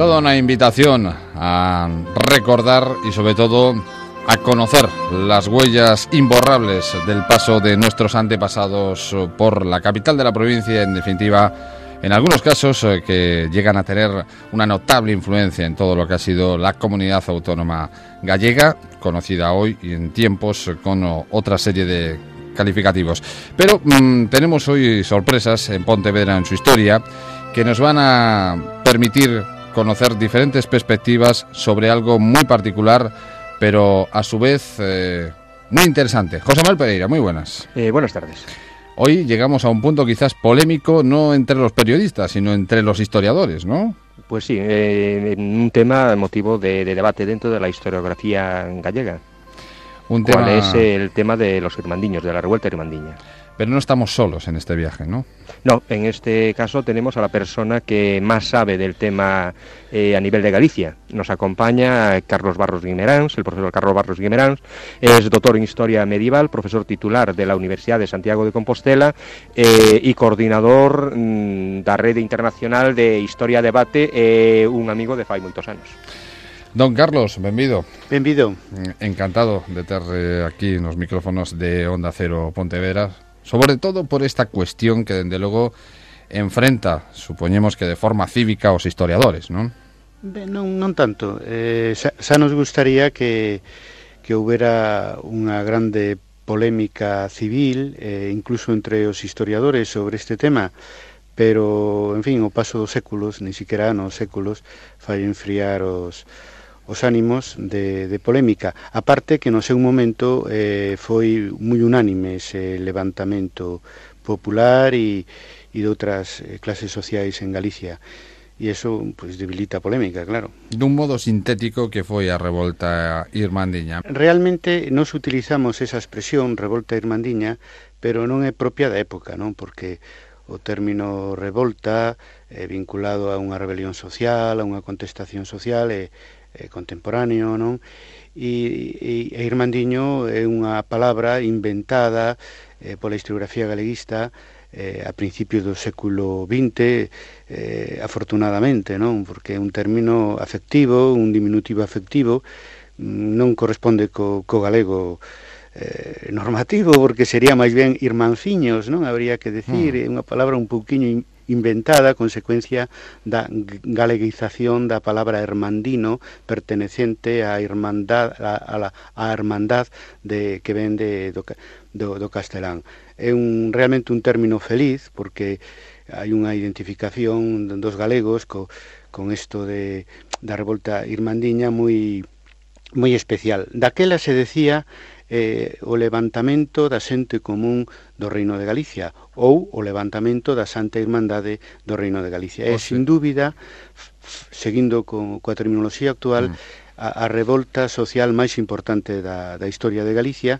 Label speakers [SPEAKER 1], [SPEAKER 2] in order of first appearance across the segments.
[SPEAKER 1] Toda una invitación a recordar y sobre todo a conocer las huellas imborrables del paso de nuestros antepasados por la capital de la provincia, en definitiva, en algunos casos que llegan a tener una notable influencia en todo lo que ha sido la comunidad autónoma gallega, conocida hoy y en tiempos con otra serie de calificativos. Pero tenemos hoy sorpresas en Pontevedra en su historia que nos van a permitir conocer diferentes perspectivas sobre algo muy particular, pero a su vez muy interesante. José Manuel Pereira, muy buenas.
[SPEAKER 2] Buenas tardes.
[SPEAKER 1] Hoy llegamos a un punto quizás polémico, no entre los periodistas, sino entre los historiadores, ¿no?
[SPEAKER 2] Pues sí, un tema motivo de debate dentro de la historiografía gallega. ¿Cuál es el tema de los irmandiños, de la revuelta irmandiña?
[SPEAKER 1] Pero no estamos solos en este viaje, ¿no?
[SPEAKER 2] No, en este caso tenemos a la persona que más sabe del tema a nivel de Galicia. Nos acompaña Carlos Barros Guimeráns, el profesor Carlos Barros Guimeráns, es doctor en Historia Medieval, profesor titular de la Universidad de Santiago de Compostela y coordinador da Rede Internacional de Historia Debate, un amigo de fai moitos anos.
[SPEAKER 1] Don Carlos, benvido.
[SPEAKER 3] Benvido.
[SPEAKER 1] Encantado de ter aquí nos micrófonos de Onda Cero Pontevedra, sobre todo por esta cuestión que, dende logo, enfrenta, supoñemos que de forma cívica, os historiadores, non?
[SPEAKER 3] Non tanto. Xa nos gustaría que houbera unha grande polémica civil, incluso entre os historiadores sobre este tema, pero, en fin, o paso dos séculos, ni siquiera nos séculos, fai enfriar os ánimos de polémica. Aparte que no seu momento foi moi unánime ese levantamento popular e de outras clases sociais en Galicia. E iso pues, debilita a polémica, claro.
[SPEAKER 1] Dun modo sintético que foi a revolta irmandiña.
[SPEAKER 3] Realmente nos utilizamos esa expresión, revolta irmandiña, pero non é propia da época, non? Porque o término revolta vinculado a unha rebelión social, a unha contestación social contemporáneo, non? E irmandiño é unha palabra inventada pola historiografía galeguista a principios do século XX, afortunadamente, non? Porque é un término afectivo, un diminutivo afectivo, non corresponde co galego normativo, porque sería máis ben irmanciños, non? Habría que decir, é unha palabra un pouquiño inventada, consecuencia da galeguización da palabra hermandino, pertenecente á irmandad, a hermandad que ven do castelán. É realmente un término feliz, porque hai unha identificación dos galegos con isto da revolta irmandiña moi especial. Daquela se decía o levantamento da xente común do Reino de Galicia ou o levantamento da Santa Irmandade do Reino de Galicia. É, sin dúbida, seguindo coa terminoloxía actual, a revolta social máis importante da historia de Galicia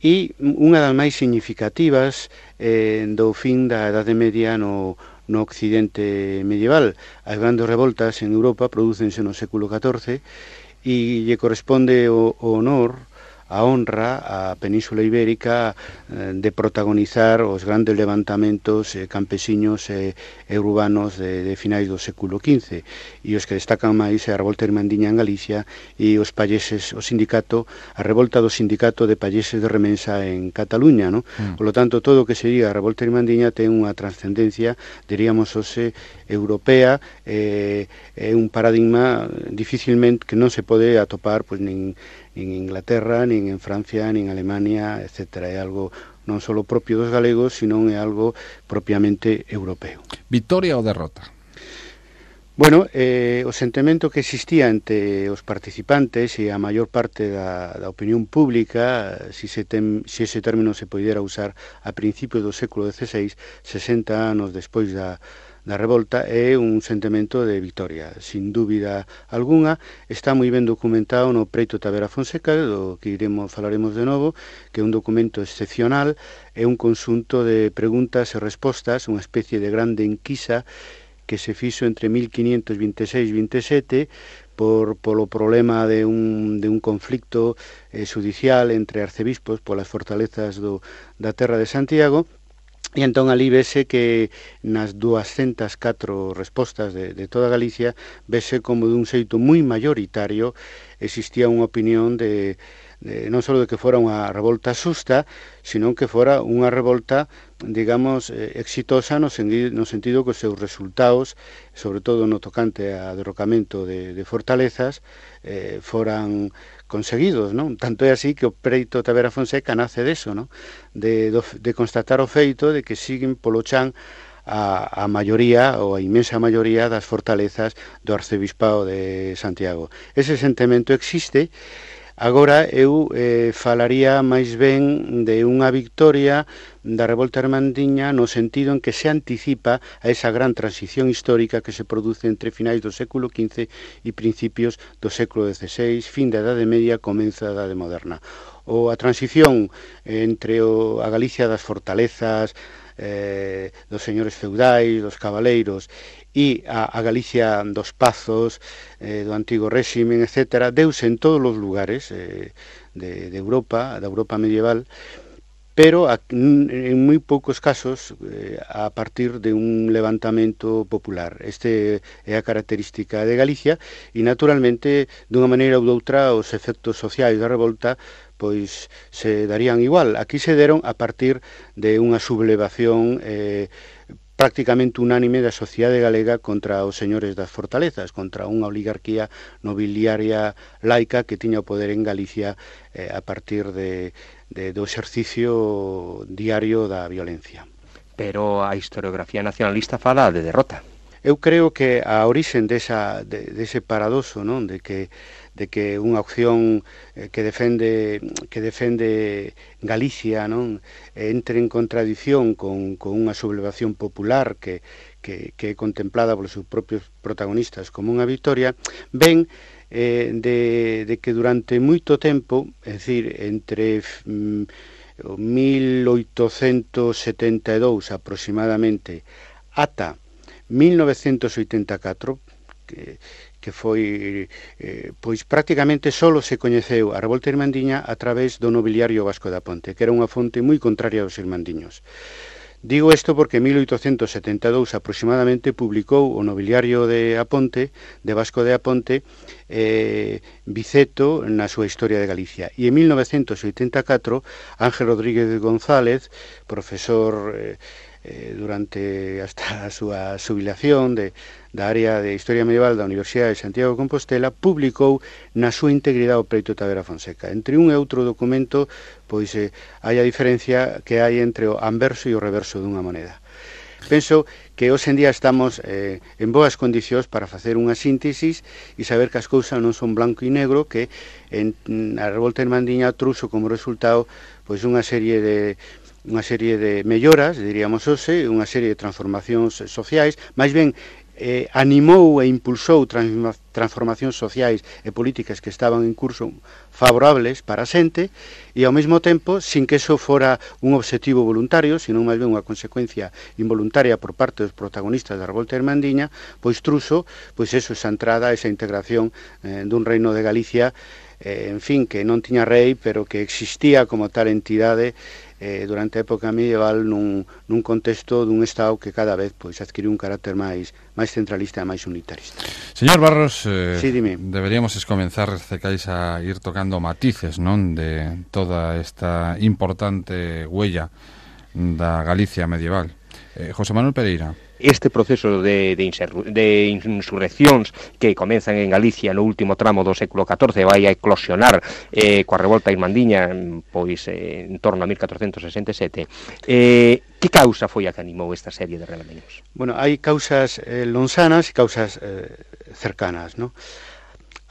[SPEAKER 3] e unha das máis significativas do fin da Edade Media no Occidente medieval. As grandes revoltas en Europa prodúcense no século XIV e lle corresponde o honor, a honra á Península Ibérica de protagonizar os grandes levantamentos campesiños e urbanos de finais do século XV, e os que destacan máis é a revolta irmandiña en Galicia e os palleses, a revolta do sindicato de palleses de Remensa en Cataluña, non? Por lo tanto, todo o que se diga a revolta irmandiña ten unha trascendencia, diríamos, europea, é un paradigma dificilmente que non se pode atopar pois nin en Inglaterra, nin en Francia, nin en Alemania, etc. É algo non só propio dos galegos, sino é algo propiamente europeo.
[SPEAKER 1] Victoria ou derrota?
[SPEAKER 3] Bueno, o sentimento que existía entre os participantes e a maior parte da opinión pública, se ese término se poidera usar a principios do século XVI, 60 anos despois da revolta, é un sentimento de victoria, sin dúbida algunha. Está moi ben documentado no Preito Tavera Fonseca, do que falaremos de novo, que é un documento excepcional, é un conxunto de preguntas e respostas, unha especie de grande enquisa que se fixo entre 1526 e 27 polo problema de un conflicto judicial entre arcebispos polas fortalezas da terra de Santiago, E entón ali vese que nas 204 respostas de toda Galicia vese como dun xeito moi mayoritario existía unha opinión non só de que fora unha revolta xusta, sino que fora unha revolta, digamos, exitosa no sentido que os seus resultados, sobre todo no tocante a derrocamento de fortalezas, foran conseguidos, non? Tanto é así que o preito Tavera Fonseca nace deso, non? De constatar o feito de que siguen polo chan a maioría ou a inmensa maioría das fortalezas do arcebispado de Santiago. Ese sentimento existe. Agora eu falaría máis ben de unha victoria da revolta irmandiña no sentido en que se anticipa a esa gran transición histórica que se produce entre finais do século XV e principios do século XVI, fin da Edade Media, comeza a Edade Moderna. A transición entre a Galicia das fortalezas, dos señores feudais, dos cabaleiros, e a Galicia dos pazos, do antigo réximen, etc., deuse en todos os lugares de Europa, da Europa medieval, pero en moi poucos casos a partir de un levantamento popular. Este é a característica de Galicia e, naturalmente, dunha maneira ou doutra, os efectos sociais da revolta pois se darían igual. Aquí se deron a partir de unha sublevación prácticamente unánime da sociedade galega contra os señores das fortalezas, contra unha oligarquía nobiliaria laica que tiña o poder en Galicia a partir do exercicio diario da violencia.
[SPEAKER 2] Pero a historiografía nacionalista fala de derrota.
[SPEAKER 3] Eu creo que a orixen dese paradoxo, non, de que unha opción que defende Galicia, non, entre en contradición con unha sublevación popular que é contemplada polos seus propios protagonistas como unha victoria, ven de que durante moito tempo, é dicir, entre 1872 aproximadamente ata 1984, que foi pois prácticamente só se coñeceu a revolta irmandiña a través do nobiliario vasco da Ponte, que era unha fonte moi contraria aos irmandiños. Digo isto porque en 1872 aproximadamente publicou o nobiliario de Aponte, de Vasco de Aponte, Biceto na súa Historia de Galicia. E en 1984 Ángel Rodríguez González, profesor durante hasta a súa xubilación da área de Historia Medieval da Universidade de Santiago de Compostela, publicou na súa integridade o Preito Tavera Fonseca. Entre un e outro documento, pois hai a diferencia que hai entre o anverso e o reverso dunha moneda. Penso que hoxe en día estamos en boas condicións para facer unha síntesis e saber que as cousas non son blanco e negro, que a revolta irmandiña trouxo como resultado pois unha serie de melloras, diríamos hoxe, unha serie de transformacións sociais, máis ben animou e impulsou transformacións sociais e políticas que estaban en curso favorables para a xente e ao mesmo tempo, sin que eso fora un obxectivo voluntario, sino máis ben unha consecuencia involuntaria por parte dos protagonistas da revolta irmandiña, pois truxo, pois eso, esa entrada, esa integración dun reino de Galicia, en fin, que non tiña rei, pero que existía como tal entidade durante a época medieval nun contexto dun Estado que cada vez pois adquiriu un carácter máis centralista e máis unitarista.
[SPEAKER 1] Señor Barros,
[SPEAKER 3] sí, dime.
[SPEAKER 1] Deberíamos comenzar, Cecais, a ir tocando matices, non, de toda esta importante huella da Galicia medieval. José Manuel Pereira.
[SPEAKER 2] Este proceso de insurreccións que comenzan en Galicia no último tramo do século XIV vai a eclosionar coa revolta irmandiña pois en torno a 1467. Que causa foi a que animou esta serie de rebelións?
[SPEAKER 3] Bueno, hai causas lonsanas e causas cercanas, ¿no?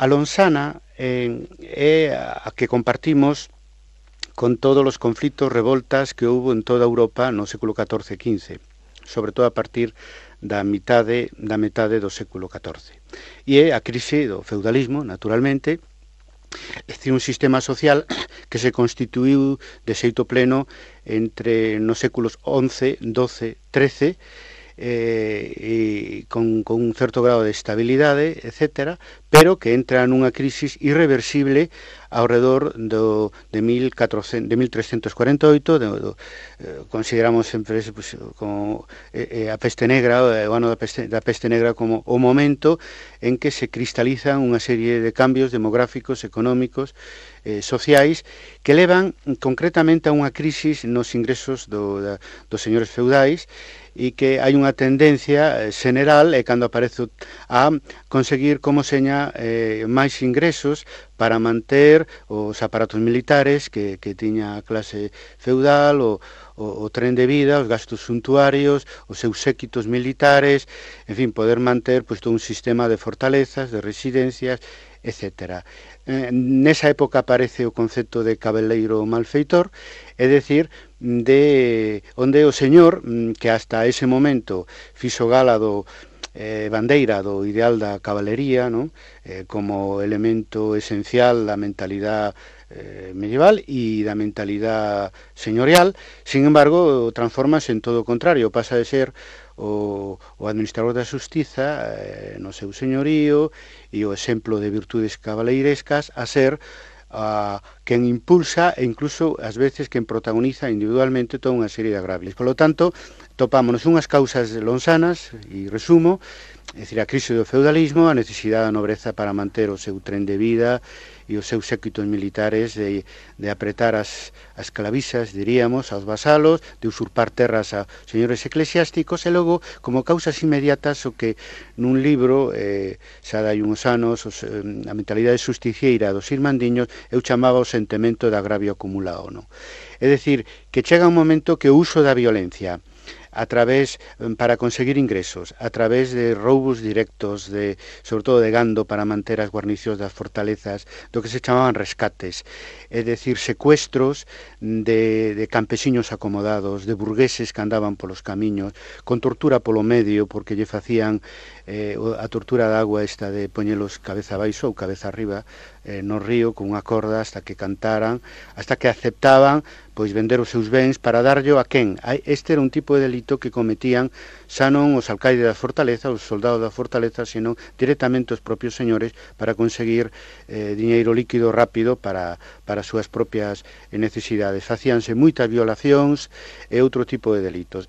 [SPEAKER 3] A lonsana é a que compartimos con todos os conflitos, revoltas que houve en toda Europa no século XIV e XV, sobre todo a partir da metade do século XIV. E é a crise do feudalismo, naturalmente, é dicir, un sistema social que se constituiu de xeito pleno entre nos séculos XI, XII, XIII, e con un certo grado de estabilidade, etcétera, pero que entra nunha crisis irreversible ao redor de 1348, consideramos sempre pues, como a peste negra, o ano da peste negra, como o momento en que se cristalizan unha serie de cambios demográficos, económicos, sociais, que levan concretamente a unha crisis nos ingresos dos señores feudais, e que hai unha tendencia general cando aparece a conseguir como seña máis ingresos para manter os aparatos militares que tiña a clase feudal, o tren de vida, os gastos suntuarios, os seus séquitos militares, en fin, poder manter pues, todo un sistema de fortalezas, de residencias, etcétera. Nesa época aparece o concepto de cabeleiro malfeitor, é dicir, de onde o señor, que hasta ese momento fixo gala do bandeira do ideal da cabalería, non? Como elemento esencial da mentalidade medieval e da mentalidade señorial, sin embargo, transformase en todo o contrario, pasa de ser o administrador da xustiza no seu señorío e o exemplo de virtudes cabaleirescas a ser quen impulsa e incluso ás veces quen protagoniza individualmente toda unha serie de agravios. Por lo tanto, topámonos unhas causas lonsanas, e resumo, é dicir, a crise do feudalismo, a necesidade da nobreza para manter o seu tren de vida e os seus séquitos militares de apretar as clavixas, diríamos, aos vasalos, de usurpar terras a señores eclesiásticos, e logo, como causas inmediatas, o que nun libro, xa dai uns anos, a mentalidade justiciera dos irmandiños, eu chamaba o sentimento de agravio acumulado, non? É dicir, que chega un momento que o uso da violencia a través, para conseguir ingresos, a través de roubos directos, sobre todo de gando para manter as guarnicións das fortalezas, do que se chamaban rescates, é dicir, secuestros de campesiños acomodados, de burgueses que andaban polos camiños, con tortura polo medio, porque lle facían a tortura de agua esta de poñelos cabeza abaixo ou cabeza arriba no río con unha corda hasta que cantaran, hasta que aceptaban pois vender os seus bens para darllo a quen? Este era un tipo de delito que cometían xa non os alcaides da fortaleza, os soldados da fortaleza, senón directamente os propios señores para conseguir diñeiro líquido rápido para as súas propias necesidades. Facíanse moitas violacións e outro tipo de delitos.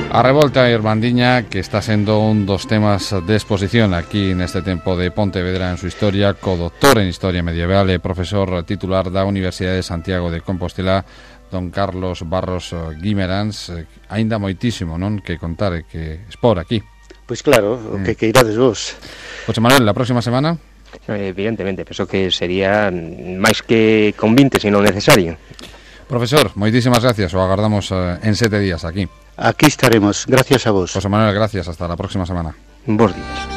[SPEAKER 1] A revolta irmandiña, que está sendo un dos temas de exposición aquí neste tempo de Pontevedra en su historia, co-doctor en Historia Medieval e profesor titular da Universidade de Santiago de Compostela, don Carlos Barros Guimeráns. Aínda moitísimo, non, que contar e que expor aquí.
[SPEAKER 3] Pois claro, o que irades vos.
[SPEAKER 1] José Manuel, la próxima semana?
[SPEAKER 2] Evidentemente, penso que sería máis que convinte, sino necesario.
[SPEAKER 1] Profesor, moitísimas gracias, o agardamos en 7 días aquí.
[SPEAKER 3] Aquí estaremos, gracias a vos.
[SPEAKER 1] José Manuel, gracias, hasta la próxima semana.
[SPEAKER 2] Bos días.